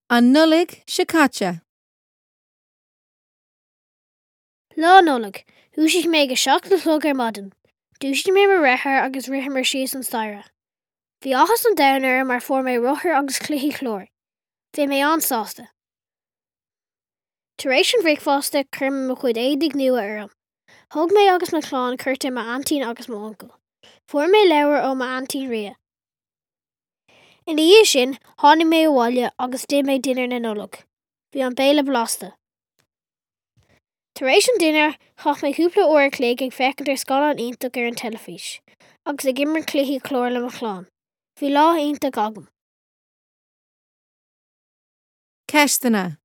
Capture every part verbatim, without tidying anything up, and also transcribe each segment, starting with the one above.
An Nollaig seo caite. Lá Nollag, dhúisigh mé ag a seacht a chlog ar maidin. Dhúisigh mé mo dheartháir agus ritheamar síos an staighre. Bhí áthas an domhain orm mar fuair mé rothar agus cluichí cláir. Bhí mé an-sásta. Tar éis an bhricfeasta chuir mé mo chuid éadaí nua orm. Thug mé agus mo chlann cuairt ar m'aintín agus m'uncail. Fuair mé leabhar ó m'aintín Ria. Ina dhiaidh sin, tháinig mé abhaile agus d'ith mé dinnéar na Nollag. Bhí an béile blasta. Tar éis an dinnéir, chaith mé cúpla uair a chloig ag féachaint ar scannán iontach ar an teilifís, agus ag imirt cluichí cláir le mo chlann. Bhí lá iontach agam. Ceisteanna.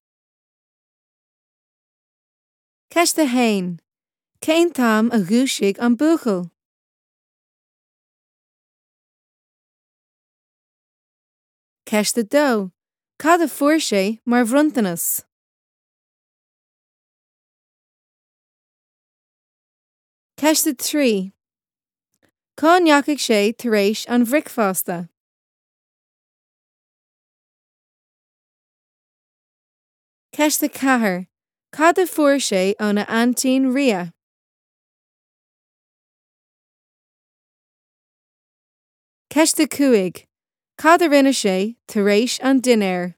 Ceist a haon. Cén t-am a dhúisigh an buachaill? Ceist a dó. Cad a fuair sé mar bhronntanas? Ceist a trí. Cá ndeachaigh sé tar éis an bhricfeasta? Ceist a ceathair. Cad a fuair sé óna aintín Ria? Ceist a cúig. Cad a rinne sé tar éis an dinnéir?